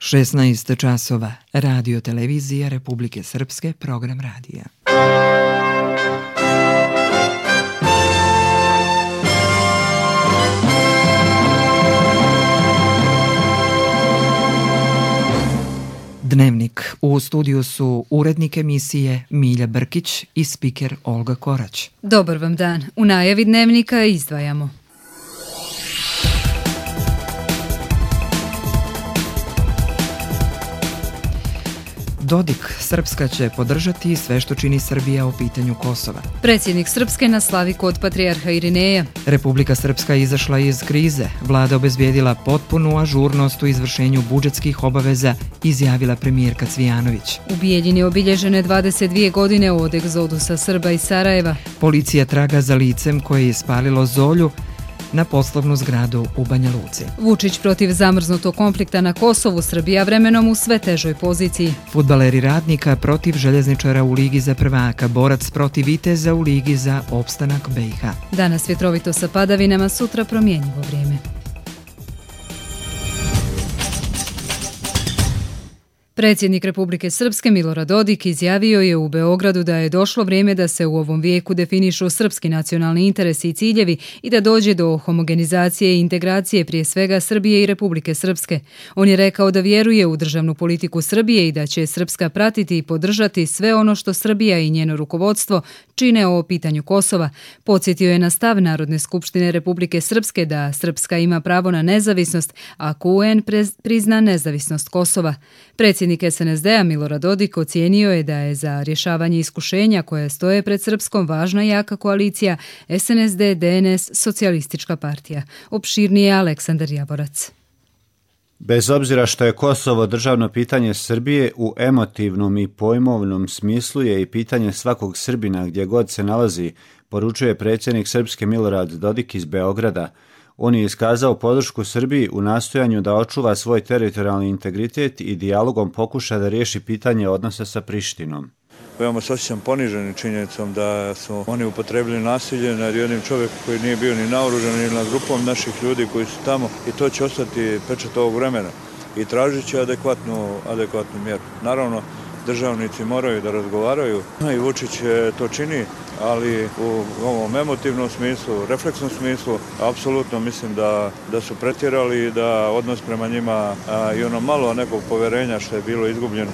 16 časova. Radio televizija Republike Srpske, program radija. Dnevnik. U studiju su urednik emisije Milja Brkić i spiker Olga Korać. Dobar vam dan. U najavi dnevnika izdvajamo. Dodik, Srpska će podržati sve što čini Srbija o pitanju Kosova. Predsjednik Srpske na slavi kod patrijarha Irineja. Republika Srpska izašla iz krize. Vlada obezbijedila potpunu ažurnost u izvršenju budžetskih obaveza, izjavila premijerka Cvijanović. U Bijeljini obilježene 22 godine od egzodusa Srba iz Sarajeva. Policija traga za licem koje je ispalilo Zolju na poslovnu zgradu u Banja Luci. Vučić protiv zamrznutog konflikta na Kosovu, Srbija vremenom u sve težoj poziciji. Fudbaleri Radnika protiv željezničara u Ligi za prvaka, borac protiv Viteza u Ligi za opstanak BiH. Danas vjetrovito sa padavinama, sutra promjenjivo vrijeme. Predsjednik Republike Srpske Milorad Dodik izjavio je u Beogradu da je došlo vrijeme da se u ovom vijeku definišu srpski nacionalni interesi i ciljevi i da dođe do homogenizacije i integracije prije svega Srbije i Republike Srpske. On je rekao da vjeruje u državnu politiku Srbije i da će Srpska pratiti i podržati sve ono što Srbija i njeno rukovodstvo čine o pitanju Kosova. Podsjetio je na stav Narodne skupštine Republike Srpske da Srpska ima pravo na nezavisnost, ako UN prizna nezavisnost Kosova. Predsjednik SNSD-a Milorad Dodik ocijenio je da je za rješavanje iskušenja koje stoje pred Srpskom važna jaka koalicija SNSD-DNS Socijalistička partija. Opširnije Aleksandar Javorac. Bez obzira što je Kosovo državno pitanje Srbije, u emotivnom i pojmovnom smislu je i pitanje svakog Srbina gdje god se nalazi, poručuje predsjednik Srpske Milorad Dodik iz Beograda. On je iskazao podršku Srbiji u nastojanju da očuva svoj teritorijalni integritet i dijalogom pokuša da riješi pitanje odnosa sa Prištinom. Veoma se osjećam ponižen činjenicom da su oni upotrebili nasilje nad jednim čovjekom koji nije bio ni naoružan ni nad grupom naših ljudi koji su tamo i to će ostati pečat ovog vremena i tražit će adekvatnu mjeru. Naravno, državnici moraju da razgovaraju i Vučić to čini, ali u ovom emotivnom smislu, refleksnom smislu, apsolutno mislim da su pretjerali i da odnos prema njima i ono malo nekog povjerenja što je bilo izgubljeno.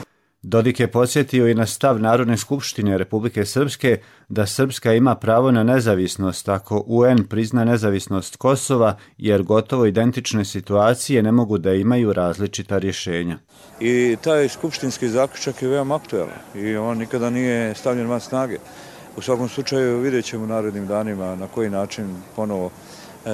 Dodik je podsjetio i na stav Narodne skupštine Republike Srpske da Srpska ima pravo na nezavisnost ako UN prizna nezavisnost Kosova, jer gotovo identične situacije ne mogu da imaju različita rješenja. I taj skupštinski zaključak je veoma aktualan i on nikada nije stavljen van snage. U svakom slučaju vidjet ćemo u narednim danima na koji način ponovo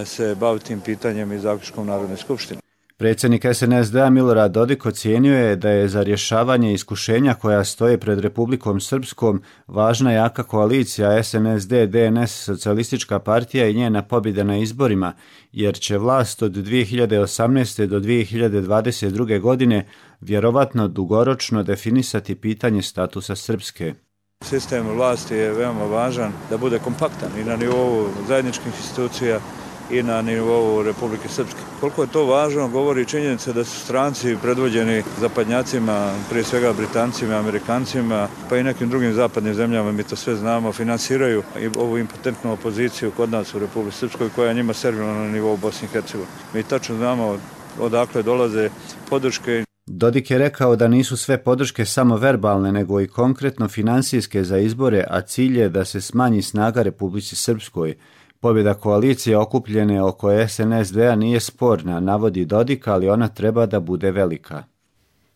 se baviti tim pitanjem i zaključkom Narodne skupštine. Predsjednik SNSD-a Milorad Dodik ocijenio je da je za rješavanje iskušenja koja stoje pred Republikom Srpskom važna jaka koalicija SNSD-DNS Socijalistička partija i njena pobjeda na izborima, jer će vlast od 2018. do 2022. godine vjerovatno dugoročno definisati pitanje statusa Srpske. Sistem vlasti je veoma važan da bude kompaktan i na nivou zajedničkih institucija i na nivou Republike Srpske. Koliko je to važno govori činjenica da su stranci predvođeni zapadnjacima, prije svega Britancima, Amerikancima, pa i nekim drugim zapadnim zemljama, mi to sve znamo, finansiraju i ovu impotentnu opoziciju kod nas u Republike Srpskoj koja njima servila na nivou Bosne i Hercegovine. Mi tačno znamo odakle dolaze podrške. Dodik je rekao da nisu sve podrške samo verbalne, nego i konkretno finansijske za izbore, a cilj je da se smanji snaga Republici Srpskoj. Pobjeda koalicije okupljene oko SNSD-a nije sporna, navodi Dodik, ali ona treba da bude velika.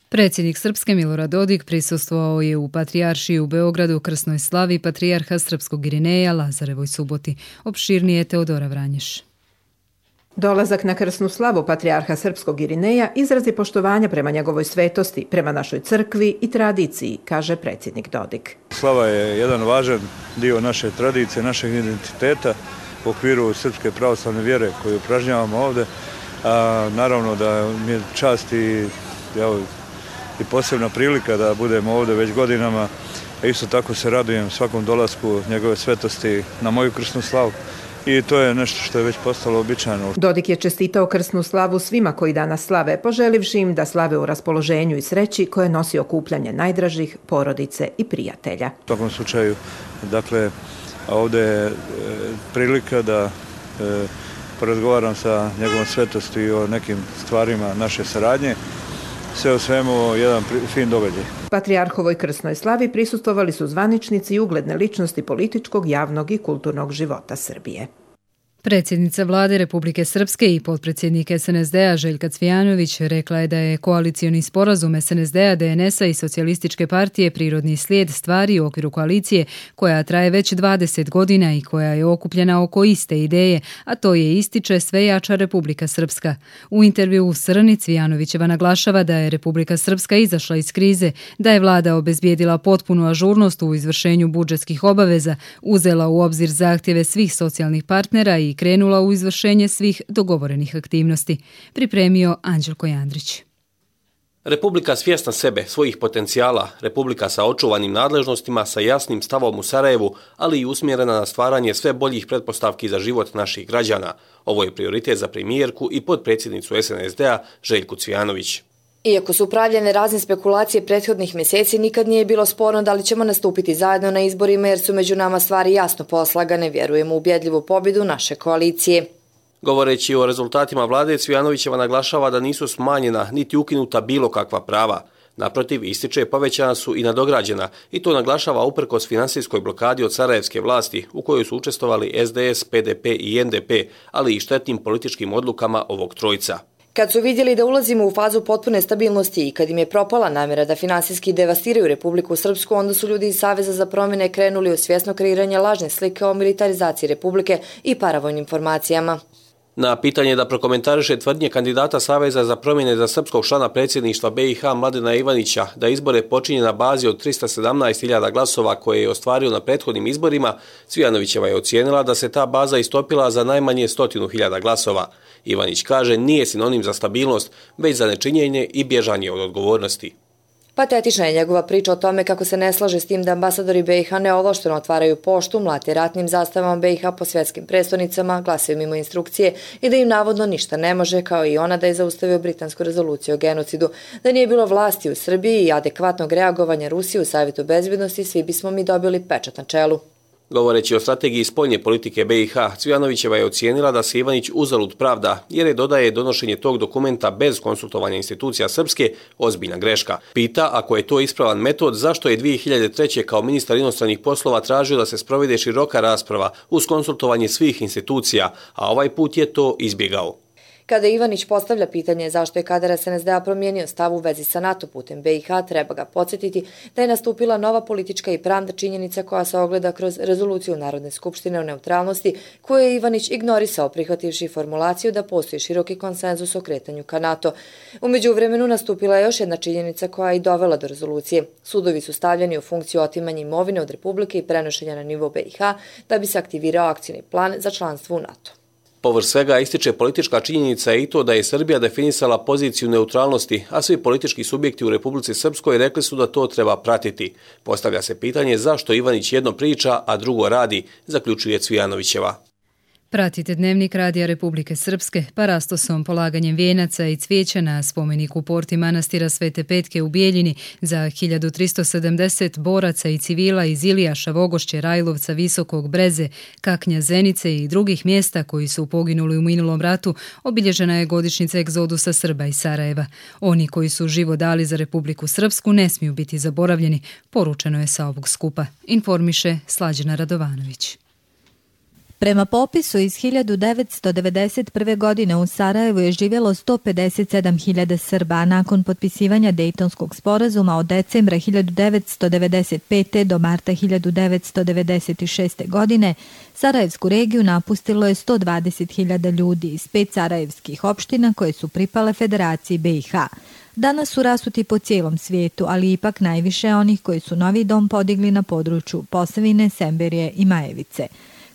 Predsjednik Srpske Milorad Dodik prisustvovao je u Patrijaršiji u Beogradu krsnoj slavi patrijarha Srpskog Irineja Lazarevoj Suboti. Opširnije Teodora Vranješ. Dolazak na krsnu slavu patrijarha Srpskog Irineja izrazi poštovanja prema njegovoj svetosti, prema našoj crkvi i tradiciji, kaže predsjednik Dodik. Slava je jedan važan dio naše tradicije, našeg identiteta u okviru srpske pravoslavne vjere koju upražnjavamo ovdje. Naravno da mi je čast i posebna prilika da budemo ovdje već godinama. Isto tako se radujem svakom dolasku njegove svetosti na moju krsnu slavu. i to je nešto što je već postalo uobičajeno. Dodik je čestitao krsnu slavu svima koji danas slave, poželivši im da slave u raspoloženju i sreći koje nosi okupljanje najdražih, porodice i prijatelja. U svakom slučaju, dakle, ovdje je prilika da porazgovaram sa njegovom svetosti i o nekim stvarima naše saradnje. Sve u svemu jedan fin događaj. Patrijarhovoj krsnoj slavi prisustvovali su zvaničnici i ugledne ličnosti političkog, javnog i kulturnog života Srbije. Predsjednica Vlade Republike Srpske i potpredsjednik SNSD-a Željka Cvijanović rekla je da je koalicioni sporazum SNSD-a, DNS-a i Socijalističke partije prirodni slijed stvari u okviru koalicije koja traje već 20 godina i koja je okupljena oko iste ideje, a to je, ističe, sve jača Republika Srpska. U intervju u Srni Cvijanovićeva naglašava da je Republika Srpska izašla iz krize, da je vlada obezbijedila potpunu ažurnost u izvršenju budžetskih obaveza, uzela u obzir zahtjeve svih socijalnih partnera i krenula u izvršenje svih dogovorenih aktivnosti. Pripremio Anđelko Jandrić. Republika svjesna sebe, svojih potencijala, republika sa očuvanim nadležnostima, sa jasnim stavom u Sarajevu, ali i usmjerena na stvaranje sve boljih pretpostavki za život naših građana. Ovo je prioritet za premijerku i potpredsjednicu SNSD-a Željku Cvijanović. Iako su upravljene razne spekulacije prethodnih mjeseci, nikad nije bilo sporno da li ćemo nastupiti zajedno na izborima jer su među nama stvari jasno poslagane, vjerujemo u ubjedljivu pobjedu naše koalicije. Govoreći o rezultatima vlade, Cvijanovićeva naglašava da nisu smanjena niti ukinuta bilo kakva prava. Naprotiv, ističe, povećana su i nadograđena i to naglašava uprkos finansijskoj blokadi od sarajevske vlasti u kojoj su učestvovali SDS, PDP i NDP, ali i štetnim političkim odlukama ovog trojca. Kad su vidjeli da ulazimo u fazu potpune stabilnosti i kad im je propala namjera da finansijski devastiraju Republiku Srpsku, onda su ljudi iz Saveza za promjene krenuli u svjesno kreiranje lažne slike o militarizaciji Republike i paravojnim formacijama. Na pitanje da prokomentariše tvrdnje kandidata Saveza za promjene za srpskog člana predsjedništva BiH Mladena Ivanića da izbore počinje na bazi od 317.000 glasova koje je ostvario na prethodnim izborima, Cvijanovićeva je ocijenila da se ta baza istopila za najmanje 100.000 glasova. Ivanić kaže nije sinonim za stabilnost, već za nečinjenje i bježanje od odgovornosti. Patetična je njegova priča o tome kako se ne slaže s tim da ambasadori BiH neovlašteno otvaraju poštu, mlate ratnim zastavama BiH po svjetskim prestonicama, glasaju mimo instrukcije i da im navodno ništa ne može, kao i ona da je zaustavio britansku rezoluciju o genocidu. Da nije bilo vlasti u Srbiji i adekvatnog reagovanja Rusije u Savjetu bezbjednosti, svi bismo mi dobili pečat na čelu. Govoreći o strategiji spoljne politike BiH, Cvijanovićeva je ocijenila da se Ivanić uzalud pravda, jer je, dodaje, donošenje tog dokumenta bez konsultovanja institucija srpske ozbiljna greška. Pita, ako je to ispravan metod, zašto je 2003. kao ministar inostranih poslova tražio da se sprovede široka rasprava uz konsultovanje svih institucija, a ovaj put je to izbjegao. Kada Ivanić postavlja pitanje zašto je kadar SNSD-a promijenio stav u vezi sa NATO putem BiH, treba ga podsjetiti da je nastupila nova politička i pravna činjenica koja se ogleda kroz rezoluciju Narodne skupštine o neutralnosti, koju je Ivanić ignorisao prihvativši formulaciju da postoji široki konsenzus o kretanju ka NATO. U međuvremenu nastupila je još jedna činjenica koja je i dovela do rezolucije. Sudovi su stavljeni u funkciju otimanja imovine od Republike i prenošenja na nivo BiH da bi se aktivirao akcijni plan za članstvo u NATO. Povrh svega ističe politička činjenica i to da je Srbija definisala poziciju neutralnosti, a svi politički subjekti u Republici Srpskoj rekli su da to treba pratiti. Postavlja se pitanje zašto Ivanić jedno priča, a drugo radi, zaključuje Cvijanovićeva. Pratite Dnevnik Radija Republike Srpske parastosom, polaganjem vijenaca i cvijeća na spomeniku porti manastira Svete Petke u Bijeljini za 1370 boraca i civila iz Ilijaša, Vogošće, Rajlovca, Visokog, Breze, Kaknja, Zenice i drugih mjesta koji su poginuli u minulom ratu, obilježena je godišnjica egzodusa Srba iz Sarajeva. Oni koji su život dali za Republiku Srpsku ne smiju biti zaboravljeni, poručeno je sa ovog skupa, informiše Slađana Radovanović. Prema popisu iz 1991. godine u Sarajevu je živjelo 157.000 Srba, a nakon potpisivanja Dejtonskog sporazuma od decembra 1995. do marta 1996. godine Sarajevsku regiju napustilo je 120.000 ljudi iz 5 sarajevskih opština koje su pripale Federaciji BiH. Danas su rasuti po cijelom svijetu, ali ipak najviše onih koji su novi dom podigli na području Posavine, Semberije i Majevice.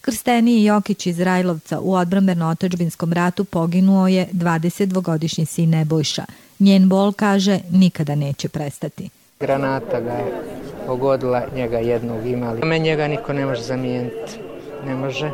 Krsteniji Jokić iz Rajlovca u odbrambeno-otadžbinskom ratu poginuo je 22-godišnji sin Nebojša. Njen bol, kaže, nikada neće prestati. Granata ga je pogodila, njega jednog imali. Me njega niko ne može zamijeniti. Ne može.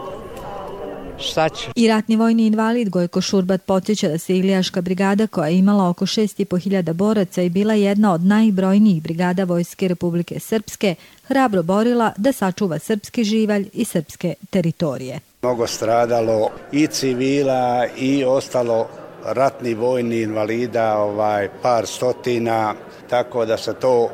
šta će. I ratni vojni invalid Gojko Šurbat podsjeća da se Ilijaška brigada, koja je imala oko 6.500 boraca i bila jedna od najbrojnijih brigada Vojske Republike Srpske, hrabro borila da sačuva srpski živalj i srpske teritorije. Mnogo stradalo i civila i ostalo ratni vojni invalida, par stotina, tako da se to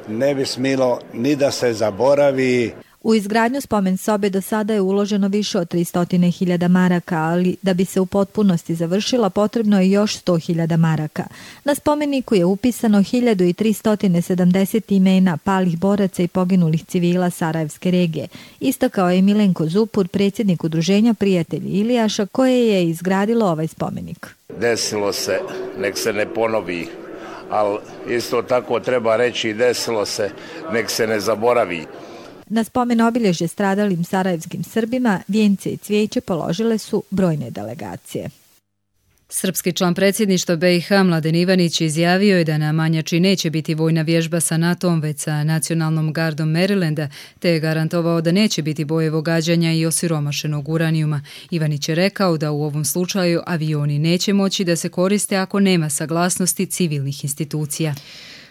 ne bi smilo ni da se zaboravi. U izgradnju spomen sobe do sada je uloženo više od 300.000 maraka, ali da bi se u potpunosti završila potrebno je još 100.000 maraka. Na spomeniku je upisano 1370 imena palih boraca i poginulih civila Sarajevske regije. Istakao je Milenko Zupur, predsjednik udruženja Prijatelji Ilijaša, koje je izgradilo ovaj spomenik. Desilo se, nek se ne ponovi, ali isto tako treba reći desilo se, nek se ne zaboravi. Na spomen obilježje stradalim sarajevskim Srbima vijence i cvijeće položile su brojne delegacije. Srpski član predsjedništva BiH Mladen Ivanić izjavio je da na Manjači neće biti vojna vježba sa NATO-om, već sa nacionalnom gardom Marylanda, te je garantovao da neće biti bojevo gađanja i osiromašenog uranijuma. Ivanić je rekao da u ovom slučaju avioni neće moći da se koriste ako nema saglasnosti civilnih institucija.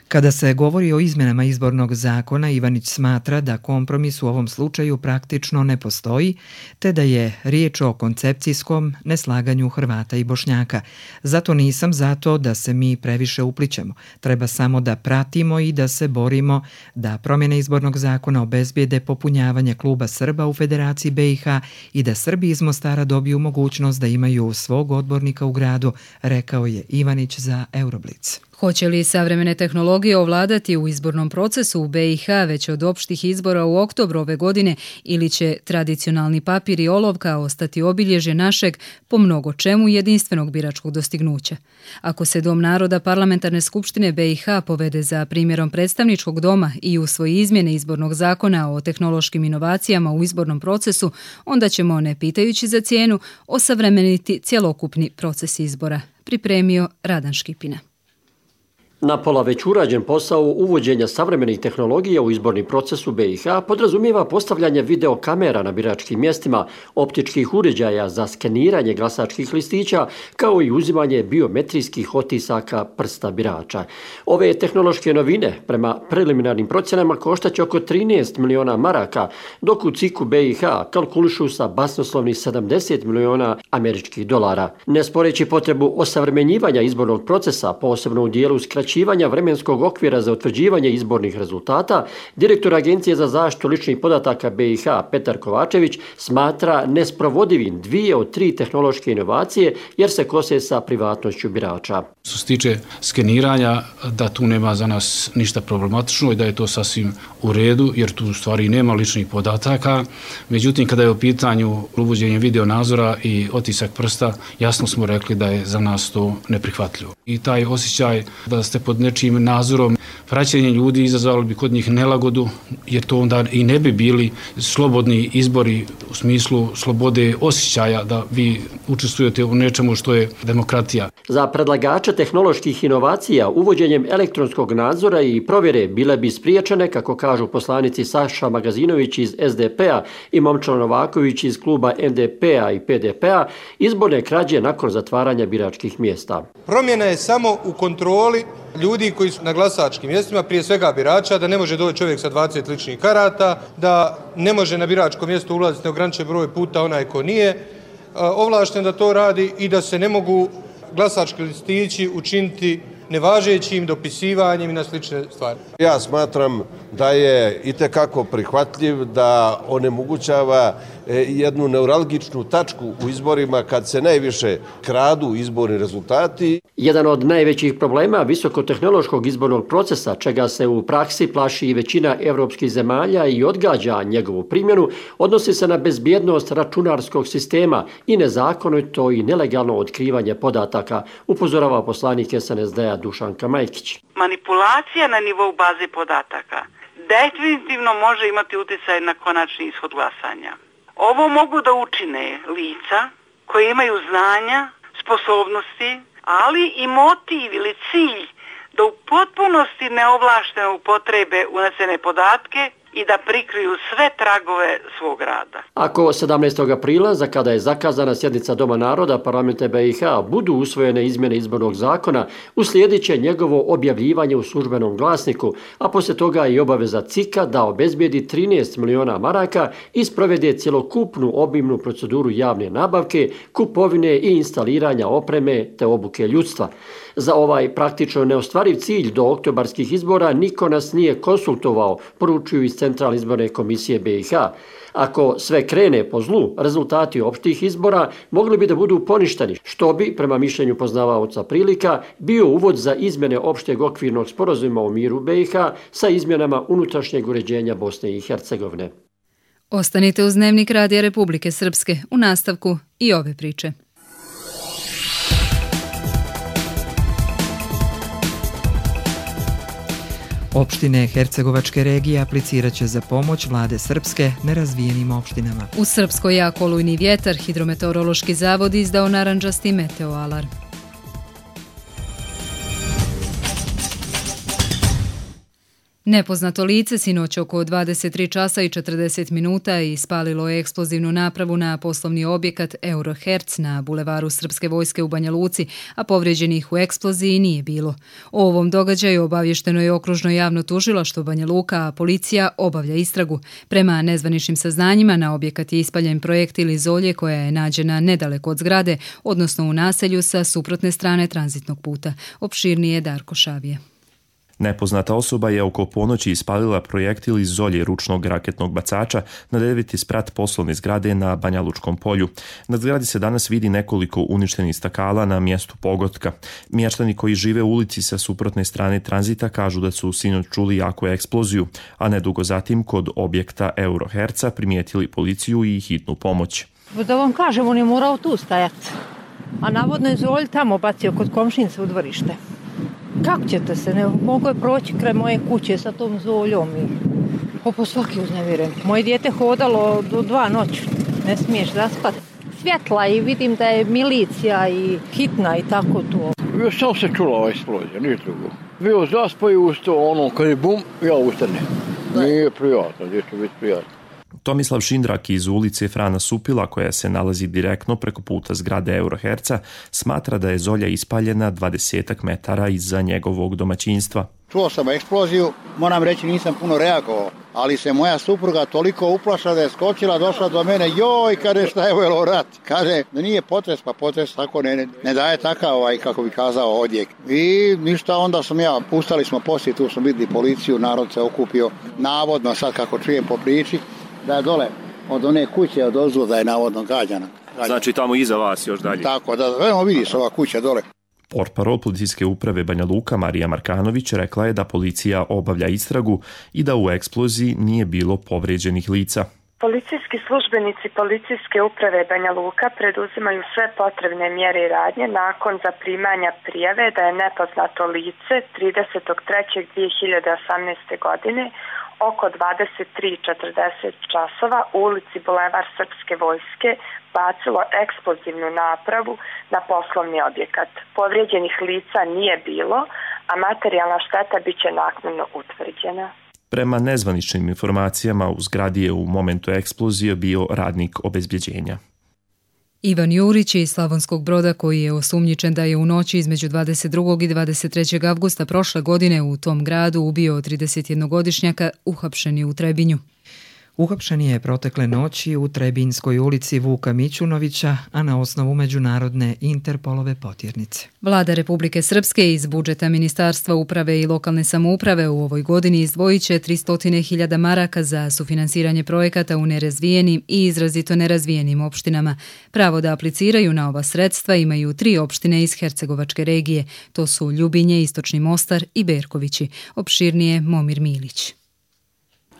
Kada se govori o izmjenama izbornog zakona, Ivanić smatra da kompromis u ovom slučaju praktično ne postoji, te da je riječ o koncepcijskom neslaganju Hrvata i Bošnjaka. Zato nisam za to da se mi previše uplićemo. Treba samo da pratimo i da se borimo da promjene izbornog zakona obezbijede popunjavanje kluba Srba u Federaciji BiH i da Srbi iz Mostara dobiju mogućnost da imaju svog odbornika u gradu, rekao je Ivanić za Euroblic. Hoće li savremene tehnologije ovladati u izbornom procesu u BiH već od opštih izbora u oktobru ove godine ili će tradicionalni papir i olovka ostati obilježje našeg po mnogo čemu jedinstvenog biračkog dostignuća? Ako se Dom naroda Parlamentarne skupštine BiH povede za primjerom predstavničkog doma i usvoji izmjene izbornog zakona o tehnološkim inovacijama u izbornom procesu, onda ćemo, ne pitajući za cijenu, osavremeniti cjelokupni proces izbora, pripremio Radan Škipina. Napola već urađen posao uvođenja savremenih tehnologija u izborni proces u BiH podrazumijeva postavljanje videokamera na biračkim mjestima, optičkih uređaja za skeniranje glasačkih listića, kao i uzimanje biometrijskih otisaka prsta birača. Ove tehnološke novine, prema preliminarnim procjenama, koštaće oko 13 miliona maraka, dok u CIK-u BiH kalkulišu sa basnoslovnih 70 miliona američkih dolara. Ne sporeći potrebu osavremenjivanja izbornog procesa, posebno u dijelu skraćivanja vremenskog okvira za utvrđivanje izbornih rezultata, direktor Agencije za zaštitu ličnih podataka BiH Petar Kovačević smatra nesprovodivim 2 od 3 tehnološke inovacije jer se kose sa privatnošću birača. Što se tiče skeniranja, da tu nema za nas ništa problematično i da je to sasvim u redu jer tu u stvari nema ličnih podataka. Međutim, kada je u pitanju uvođenje video nadzora i otisak prsta, jasno smo rekli da je za nas to neprihvatljivo. I taj osjećaj da ste pod nečijim nadzorom, praćenje ljudi izazvalo bi kod njih nelagodu, jer to onda i ne bi bili slobodni izbori u smislu slobode osjećaja da vi učestvujete u nečemu što je demokratija. Za predlagača tehnoloških inovacija uvođenjem elektronskog nadzora i provjere bile bi spriječene, kako kažu poslanici Saša Magazinović iz SDP-a i Momčilo Novaković iz kluba NDP-a i PDP-a, izborne krađe nakon zatvaranja biračkih mjesta. Promjena je samo u kontroli ljudi koji su na glasačkim mjestima, prije svega birača, da ne može doći čovjek sa 20 ličnih karata, da ne može na biračko mjesto ulaziti neograničen broj puta onaj ko nije ovlašten da to radi i da se ne mogu glasački listići učiniti nevažećim dopisivanjem i na slične stvari. Ja smatram da je itekako prihvatljiv, da onemogućava jednu neuralgičnu tačku u izborima kad se najviše kradu izborni rezultati. Jedan od najvećih problema visokotehnološkog izbornog procesa, čega se u praksi plaši i većina evropskih zemalja i odgađa njegovu primjenu, odnosi se na bezbjednost računarskog sistema i nezakonito i nelegalno otkrivanje podataka, upozorava poslanik SNSD-a Dušanka Majkić. Manipulacija na nivou baze podataka definitivno može imati utjecaj na konačni ishod glasanja. Ovo mogu da učine lica koje imaju znanja, sposobnosti, ali i motiv ili cilj da u potpunosti neovlašteno upotrebe unesene podatke i da prikriju sve tragove svog rada. Ako 17. aprila, za kada je zakazana sjednica Doma naroda parlamenta BiH, budu usvojene izmjene izbornog zakona, uslijedit će njegovo objavljivanje u službenom glasniku, a poslije toga i obaveza CIK-a da obezbijedi 13 miliona maraka i sprovede cjelokupnu obimnu proceduru javne nabavke, kupovine i instaliranja opreme te obuke ljudstva. Za ovaj praktično neostvariv cilj do oktobarskih izbora niko nas nije konsultovao, poručuju iz Centralne izborne komisije BiH. Ako sve krene po zlu, rezultati opštih izbora mogli bi da budu poništeni, što bi, prema mišljenju poznavaoca prilika, bio uvod za izmjene opšteg okvirnog sporazuma o miru BiH sa izmjenama unutrašnjeg uređenja Bosne i Hercegovine. Ostanite uz Dnevnik Radija Republike Srpske, u nastavku i ove priče. Opštine Hercegovačke regije aplicirat će za pomoć vlade Srpske nerazvijenim opštinama. U Srpskoj jak olujni vjetar, Hidrometeorološki zavod izdao narandžasti meteoalarm. Nepoznato lice sinoć oko 23 časa i 40 minuta ispalilo je eksplozivnu napravu na poslovni objekat Euroherc na bulevaru Srpske vojske u Banja Luci, a povrijeđenih u eksploziji nije bilo. O ovom događaju obavješteno je okružno javno tužilaštvo Banja Luka, a policija obavlja istragu. Prema nezvaničnim saznanjima, na objekat je ispaljen projektil iz olje koja je nađena nedaleko od zgrade, odnosno u naselju sa suprotne strane tranzitnog puta. Opširnije Darko Šavije. Nepoznata osoba je oko ponoći ispalila projektil iz olje ručnog raketnog bacača na 9. sprat poslovne zgrade na Banja Lučkom polju. Na zgradi se danas vidi nekoliko uništenih stakala na mjestu pogotka. Mještani koji žive u ulici sa suprotne strane tranzita kažu da su sinoć čuli jaku eksploziju, a nedugo zatim kod objekta Euroherca primijetili policiju i hitnu pomoć. Da vam kažem, on je morao tu stajati, a navodno je zolj tamo bacio kod komšinice u dvorište. Kako ćete se, ne mogu je proći kraj moje kuće sa tom zoljom i po svaki uznemiren. Moje dijete hodalo do 2 noći, ne smiješ zaspati. Svjetla i vidim da je milicija i hitna i tako to. Samo se čula ova eksplozija, nije drugo. Bio zaspao i ustao, ono kad je bum, ja ustanem. Nije prijatno, gdje će biti prijatno. Tomislav Šindrak iz ulice Frana Supila, koja se nalazi direktno preko puta zgrade Euroherca, smatra da je zolja ispaljena 20 metara iza njegovog domaćinstva. Čuo sam eksploziju, moram reći nisam puno reagovao, ali se moja supruga toliko uplašila da je skočila, došla do mene, joj, kaže šta je ovo rat. Kaže da nije potres, pa potres tako ne daje takav, kako bi kazao, odjek. I ništa, onda pustali smo poslije, tu smo vidjeli policiju, narod se okupio, navodno sad kako čujem po priči, da je dole od one kuće od ozdu da je navodno gađana. Znači tamo iza vas još dalje? Tako, da vidiš ova kuća dole. Portparol policijske uprave Banja Luka Marija Markanović rekla je da policija obavlja istragu i da u eksploziji nije bilo povrijeđenih lica. Policijski službenici policijske uprave Banja Luka preduzimaju sve potrebne mjere i radnje nakon zaprimanja prijave da je nepoznato lice 30.3.2018. godine oko 23:40 časova u ulici Bulevar Srpske vojske bacilo eksplozivnu napravu na poslovni objekat. Povrijeđenih lica nije bilo, a materijalna šteta bit će naknadno utvrđena. Prema nezvaničnim informacijama, u zgradi je u momentu eksplozije bio radnik obezbjeđenja. Ivan Jurić iz Slavonskog Broda, koji je osumnjičen da je u noći između 22. i 23. avgusta prošle godine u tom gradu ubio 31-godišnjaka, uhapšen je u Trebinju. Uhapšen je protekle noći u Trebinjskoj ulici Vuka Mićunovića, a na osnovu međunarodne Interpolove potjernice. Vlada Republike Srpske iz budžeta Ministarstva uprave i lokalne samouprave u ovoj godini izdvojit će 300.000 maraka za sufinansiranje projekata u nerazvijenim i izrazito nerazvijenim opštinama. Pravo da apliciraju na ova sredstva imaju 3 opštine iz Hercegovačke regije. To su Ljubinje, Istočni Mostar i Berkovići. Opširnije Momir Milić.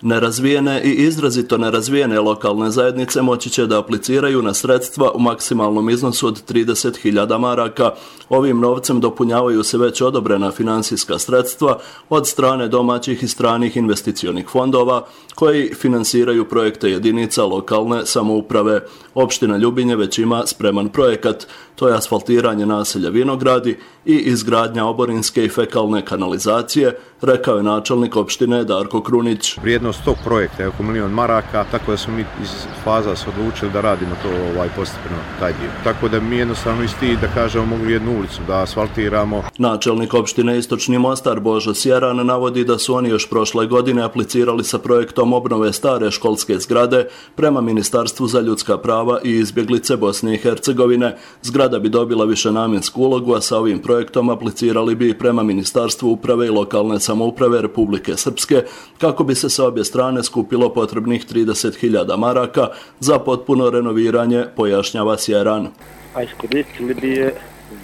Nerazvijene i izrazito nerazvijene lokalne zajednice moći će da apliciraju na sredstva u maksimalnom iznosu od 30.000 maraka. Ovim novcem dopunjavaju se već odobrena finansijska sredstva od strane domaćih i stranih investicionih fondova koji finansiraju projekte jedinica lokalne samouprave. Opština Ljubinje već ima spreman projekat. To je asfaltiranje naselja Vinogradi i izgradnja oborinske i fekalne kanalizacije, rekao je načelnik opštine Darko Krunić. vrijednost tog projekta je oko 1 milion maraka, tako da smo mi iz faza se odlučili da radimo to postepeno taj dio. Tako da mi jednostavno isti da kažemo mogli jednu ulicu da asfaltiramo. Načelnik opštine Istočni Mostar Božo Sjeran navodi da su oni još prošle godine aplicirali sa projektom obnove stare školske zgrade prema Ministarstvu za ljudska prava i izbjeglice Bosne i Hercegovine. Zgrada bi dobila višenamjensku ulogu, a sa ovim projektom aplicirali bi prema Ministarstvu uprave i lokalne samouprave Republike Srpske, kako bi se sa obje strane skupilo potrebnih 30.000 maraka za potpuno renoviranje, pojašnjava Sjeran. A iskoristili bi je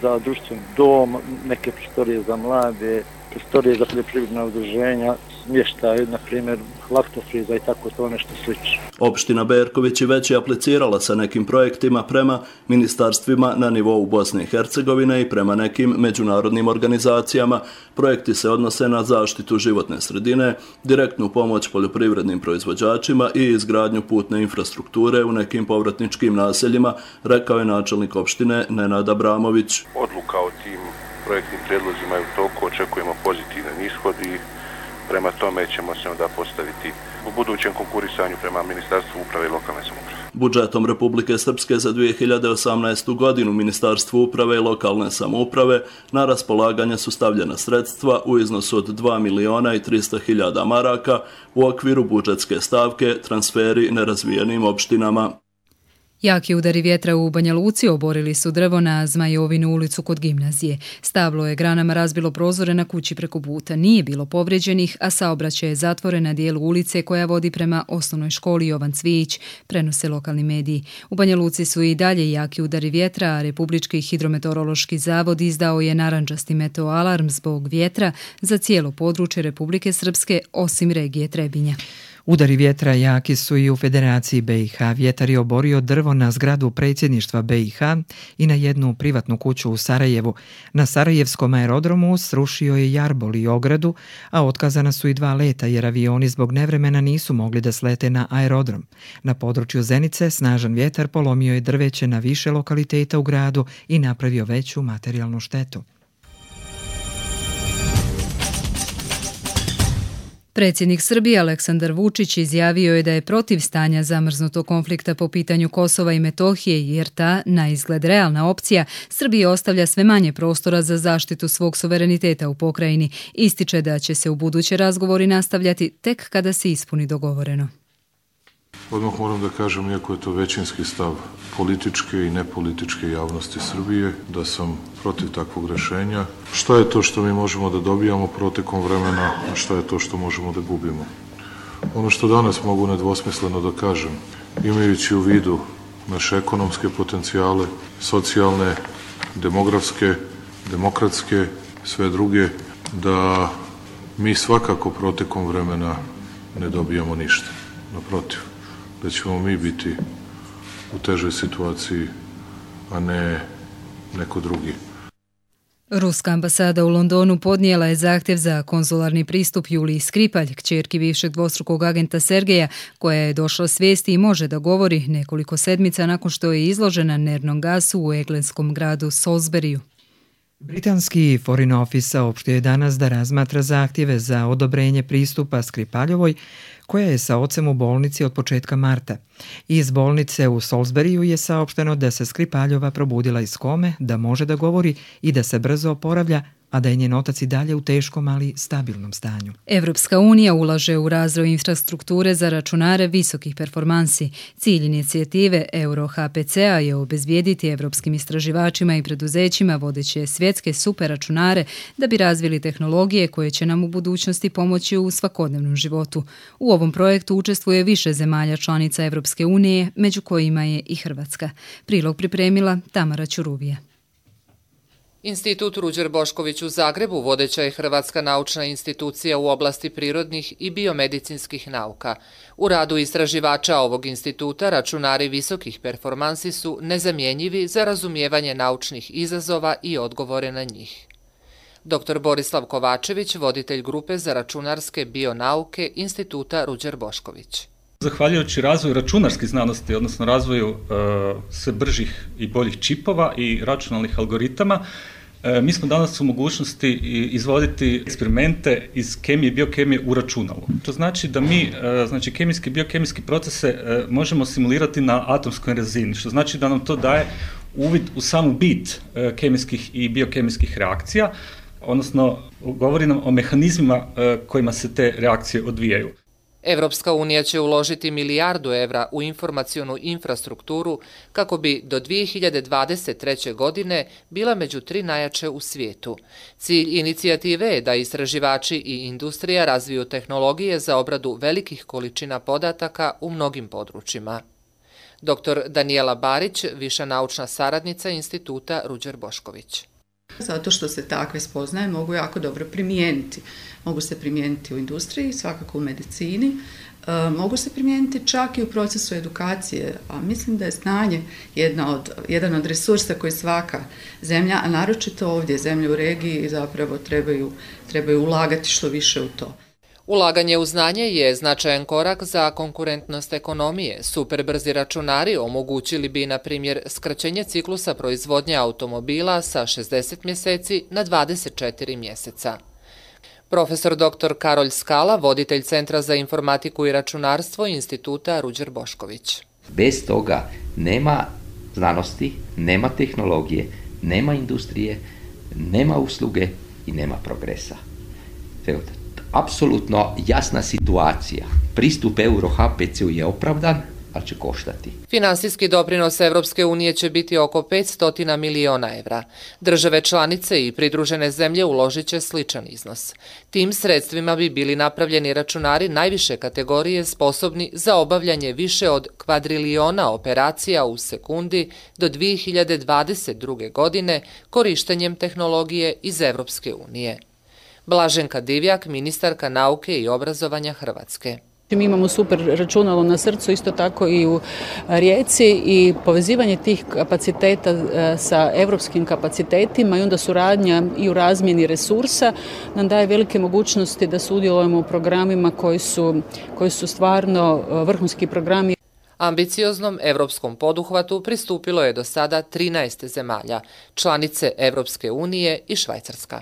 za društveni dom, neke prostorije za mlade, prostorije za poljoprivredna udruženja, smještaj, na primjer, laktofriza i tako to nešto slično. Opština Berković već je aplicirala sa nekim projektima prema ministarstvima na nivou Bosne i Hercegovine i prema nekim međunarodnim organizacijama. Projekti se odnose na zaštitu životne sredine, direktnu pomoć poljoprivrednim proizvođačima i izgradnju putne infrastrukture u nekim povratničkim naseljima, rekao je načelnik opštine Nenad Abramović. Odluka o tim projektnim prijedlozima je u toku, očekujemo pozitivan ishod i prema tome ćemo se onda postaviti u budućem konkurisanju prema Ministarstvu uprave i lokalne samouprave. Budžetom Republike Srpske za 2018. godinu Ministarstvu uprave i lokalne samouprave na raspolaganje su stavljena sredstva u iznosu od 2.300.000 maraka u okviru budžetske stavke transferi nerazvijenim opštinama. Jaki udari vjetra u Banja Luci oborili su drvo na Zmajovinu ulicu kod gimnazije. Stablo je granama razbilo prozore na kući preko puta. Nije bilo povrijeđenih, a saobraćaj je zatvoren na dijelu ulice koja vodi prema osnovnoj školi Jovan Cvijić, prenose lokalni mediji. U Banja Luci su i dalje jaki udari vjetra, a Republički hidrometeorološki zavod izdao je narandžasti meteoalarm zbog vjetra za cijelo područje Republike Srpske osim regije Trebinja. Udari vjetra jaki su i u Federaciji BiH. Vjetar je oborio drvo na zgradu predsjedništva BiH i na jednu privatnu kuću u Sarajevu. Na Sarajevskom aerodromu srušio je jarbol i ogradu, a otkazana su i 2 leta jer avioni zbog nevremena nisu mogli da slete na aerodrom. Na području Zenice snažan vjetar polomio je drveće na više lokaliteta u gradu i napravio veću materijalnu štetu. Predsjednik Srbije Aleksandar Vučić izjavio je da je protiv stanja zamrznutog konflikta po pitanju Kosova i Metohije jer ta, na izgled realna opcija, Srbiji ostavlja sve manje prostora za zaštitu svog suvereniteta u pokrajini. Ističe da će se u buduće razgovori nastavljati tek kada se ispuni dogovoreno. Odmah moram da kažem, iako je to većinski stav političke i nepolitičke javnosti Srbije, da sam protiv takvog rešenja. Šta je to što mi možemo da dobijamo protekom vremena, a šta je to što možemo da gubimo? Ono što danas mogu nedvosmisleno da kažem, imajući u vidu naše ekonomske potencijale, socijalne, demografske, demokratske, sve druge, da mi svakako protekom vremena ne dobijamo ništa. Naprotiv, da ćemo mi biti u težoj situaciji, a ne neko drugi. Ruska ambasada u Londonu podnijela je zahtjev za konzularni pristup Juliji Skripalj, kćerki bivšeg dvostrukog agenta Sergeja, koja je došla svijesti i može da govori nekoliko sedmica nakon što je izložena nervnom gasu u engleskom gradu Salisburyju. Britanski Foreign Office saopštio je danas da razmatra zahtjeve za odobrenje pristupa Skripaljovoj, koja je sa ocem u bolnici od početka marta. Iz bolnice u Salisburyju je saopšteno da se Skripaljova probudila iz kome, da može da govori i da se brzo oporavlja, a da je njen otac i dalje u teškom, ali stabilnom stanju. Evropska unija ulaže u razvoj infrastrukture za računare visokih performansi. Cilj inicijative Euro-HPC-a je obezbijediti evropskim istraživačima i preduzećima vodeće svjetske superračunare da bi razvili tehnologije koje će nam u budućnosti pomoći u svakodnevnom životu. U ovom projektu učestvuje više zemalja članica Evropske unije, među kojima je i Hrvatska. Prilog pripremila Tamara Ćuruvija. Institut Ruđer Bošković u Zagrebu vodeća je hrvatska naučna institucija u oblasti prirodnih i biomedicinskih nauka. U radu istraživača ovog instituta računari visokih performansi su nezamjenjivi za razumijevanje naučnih izazova i odgovore na njih. Dr. Borislav Kovačević, voditelj grupe za računarske bionauke Instituta Ruđer Bošković. Zahvaljujući razvoju računarskih znanosti, odnosno razvoju sve bržih i boljih čipova i računalnih algoritama, Mi smo danas u mogućnosti izvoditi eksperimente iz kemije i biokemije u računalu. To znači da mi kemijske i biokemijske procese možemo simulirati na atomskoj razini, što znači da nam to daje uvid u samu bit kemijskih i biokemijskih reakcija, odnosno govori nam o mehanizmima kojima se te reakcije odvijaju. Evropska unija će uložiti €1 milijardu u informacionu infrastrukturu kako bi do 2023. godine bila među 3 najjače u svijetu. Cilj inicijative je da istraživači i industrija razviju tehnologije za obradu velikih količina podataka u mnogim područjima. Dr. Danijela Barić, viša naučna saradnica Instituta Ruđer Bošković. Zato što se takve spoznaje mogu jako dobro primijeniti. Mogu se primijeniti u industriji, svakako u medicini, mogu se primijeniti čak i u procesu edukacije, a mislim da je znanje jedan od resursa koji svaka zemlja, a naročito ovdje zemlje u regiji, zapravo trebaju ulagati što više u to. Ulaganje u znanje je značajan korak za konkurentnost ekonomije. Superbrzi računari omogućili bi, na primjer, skraćenje ciklusa proizvodnje automobila sa 60 mjeseci na 24 mjeseca. Profesor dr. Karolj Skala, voditelj Centra za informatiku i računarstvo Instituta Ruđer Bošković. Bez toga nema znanosti, nema tehnologije, nema industrije, nema usluge i nema progresa. Apsolutno jasna situacija. Pristup euro HPC-u je opravdan, ali će koštati. Finansijski doprinos Evropske unije će biti oko €500 miliona. Države članice i pridružene zemlje uložit će sličan iznos. Tim sredstvima bi bili napravljeni računari najviše kategorije sposobni za obavljanje više od kvadriliona operacija u sekundi do 2022. godine korištenjem tehnologije iz Evropske unije. Blaženka Divjak, ministarka nauke i obrazovanja Hrvatske. Mi imamo super računalo na srcu, isto tako i u Rijeci, i povezivanje tih kapaciteta sa evropskim kapacitetima i onda suradnja i u razmjeni resursa nam daje velike mogućnosti da sudjelujemo u programima koji su stvarno vrhunski programi. Ambicioznom evropskom poduhvatu pristupilo je do sada 13 zemalja, članice Evropske unije i Švajcarska.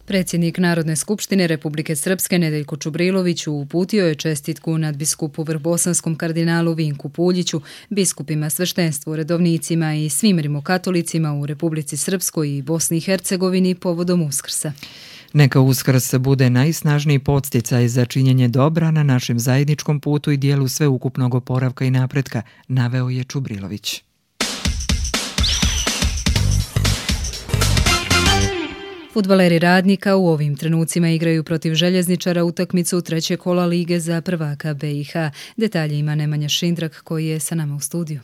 Predsjednik Narodne skupštine Republike Srpske Nedeljko Čubrilović uputio je čestitku nadbiskupu Vrbosanskom kardinalu Vinku Puljiću, biskupima, sveštenstvu, redovnicima i svim rimokatolicima u Republici Srpskoj i Bosni i Hercegovini povodom Uskrsa. Neka Uskrs bude najsnažniji podsticaj za činjenje dobra na našem zajedničkom putu i dijelu sveukupnog oporavka i napretka, naveo je Čubrilović. Fudbaleri Radnika u ovim trenucima igraju protiv Željezničara utakmicu 3. kola lige za prvaka BiH. Detalje ima Nemanja Šindrak koji je sa nama u studiju.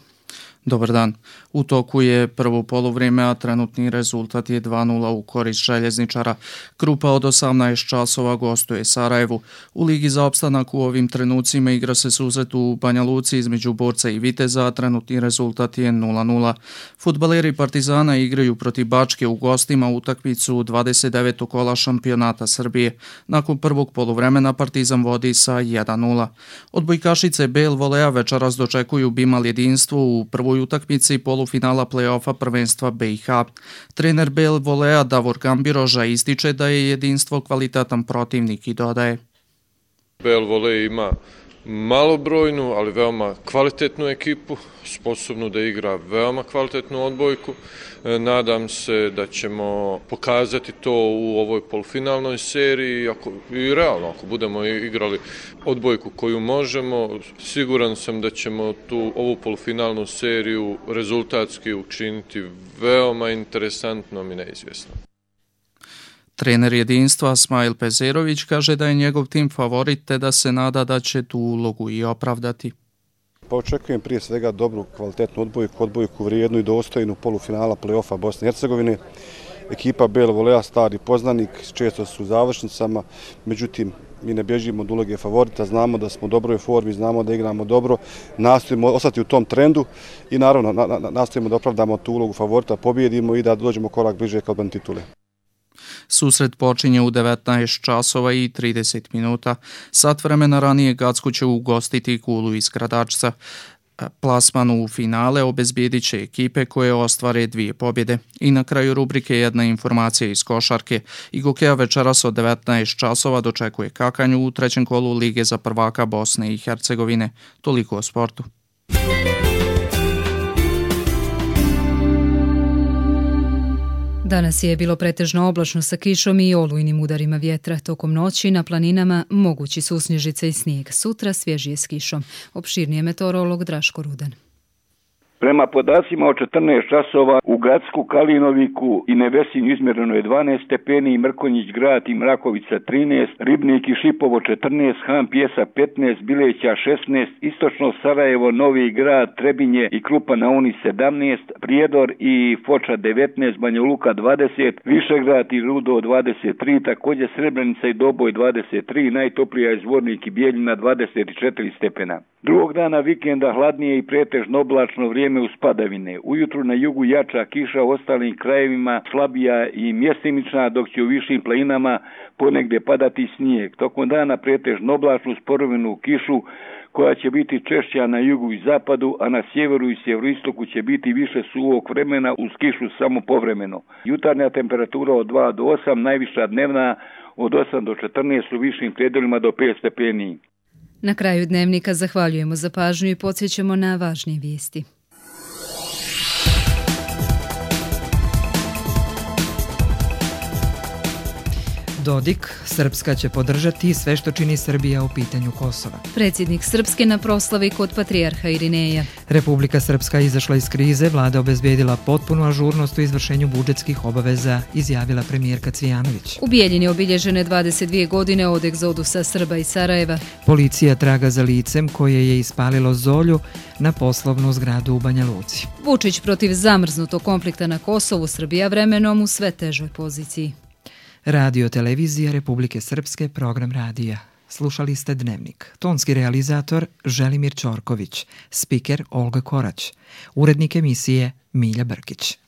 Dobar dan. U toku je prvo poluvrijeme, a trenutni rezultat je 2:0 u korist Željezničara. Grupa od 18 časova gostuje Sarajevu. U Ligi za opstanak u ovim trenucima igra se susret u Banja Luci između Borca i Viteza, a trenutni rezultat je 0:0. Fudbaleri Partizana igraju protiv Bačke u gostima utakmicu 29. kola šampionata Srbije. Nakon prvog poluvremena Partizan vodi sa 1:0. Odbojkašice BL Volea večeras dočekuju Bimal jedinstvo u prvoj utakmici polufinala play-offa prvenstva BiH. Trener BL Volea Davor Gambiroža ističe da je jedinstvo kvalitetan protivnik i dodaje: BL Volea ima malobrojnu, ali veoma kvalitetnu ekipu, sposobnu da igra veoma kvalitetnu odbojku. Nadam se da ćemo pokazati to u ovoj polufinalnoj seriji i realno, ako budemo igrali odbojku koju možemo, siguran sam da ćemo ovu polufinalnu seriju rezultatski učiniti veoma interesantnom i neizvjesnom. Trener jedinstva Smajl Pezerović kaže da je njegov tim favorit te da se nada da će tu ulogu i opravdati. Pa očekujem prije svega dobru, kvalitetnu odbojku vrijednu i dostojnu polufinala play-offa Bosne i Hercegovine. Ekipa BL Volea stari poznanik, često su u završnicama, međutim mi ne bježimo od uloge favorita, znamo da smo u dobroj formi, znamo da igramo dobro, nastojimo ostati u tom trendu i naravno nastojimo da opravdamo tu ulogu favorita, pobjedimo i da dođemo korak bliže ka odbrani titule. Susret počinje u 19 časova i 30 minuta. Sat vremena ranije Gacko će ugostiti Kulu iz Gradačca. Plasman u finale obezbijedit će ekipe koje ostvare 2 pobjede. I na kraju rubrike jedna informacija iz košarke. Igokeja večeras od 19 časova dočekuje Kakanju u 3. kolu Lige za prvaka Bosne i Hercegovine. Toliko o sportu. Danas je bilo pretežno oblačno sa kišom i olujnim udarima vjetra. Tokom noći na planinama mogući su snježice i snijeg. Sutra svježije s kišom. Opširnije meteorolog Draško Rudan. Prema podacima od 14 časova u Gacku, Kalinoviku i Nevesinju izmjereno je 12 stepeni, Mrkonjić grad i Mrakovica 13, Ribnik i Šipovo 14, Han Pjesa 15, Bileća 16, Istočno Sarajevo, Novi grad, Trebinje i Krupa na Uni 17, Prijedor i Foča 19, Banja Luka 20, Višegrad i Rudo 23, također Srebrenica i Doboj 23, najtoplija je Zvornik i Bijeljina 24 stepena. Drugog dana vikenda hladnije i pretežno oblačno vrijeme uz padavine. Ujutru na jugu jača kiša, u ostalim krajevima slabija i mjestimična, dok će u višim planinama ponegdje padati snijeg. Tokom dana pretežno oblačnu sporovinu kišu koja će biti češća na jugu i zapadu, a na sjeveru i sjeveroistoku će biti više suvog vremena uz kišu samo povremeno. Jutarnja temperatura od 2 do 8, najviša dnevna od 8 do 14, u višim predjelima do 5 stepeni. Na kraju dnevnika zahvaljujemo za pažnju i podsjećamo na važnije vijesti. Dodik, Srpska će podržati sve što čini Srbija u pitanju Kosova. Predsjednik Srpske na proslavi kod patrijarha Irineja. Republika Srpska izašla iz krize, vlada obezbijedila potpunu ažurnost u izvršenju budžetskih obaveza, izjavila premijerka Cvijanović. U Bijeljini obilježene 22 godine od egzodusa Srba iz Sarajeva. Policija traga za licem koje je ispalilo Zolju na poslovnu zgradu u Banja Luci. Vučić protiv zamrznutog konflikta na Kosovu, Srbija vremenom u sve težoj poziciji. Radio televizija Republike Srpske, program radija. Slušali ste Dnevnik. Tonski realizator Želimir Ćorković, spiker Olga Korać, urednik emisije Milja Brkić.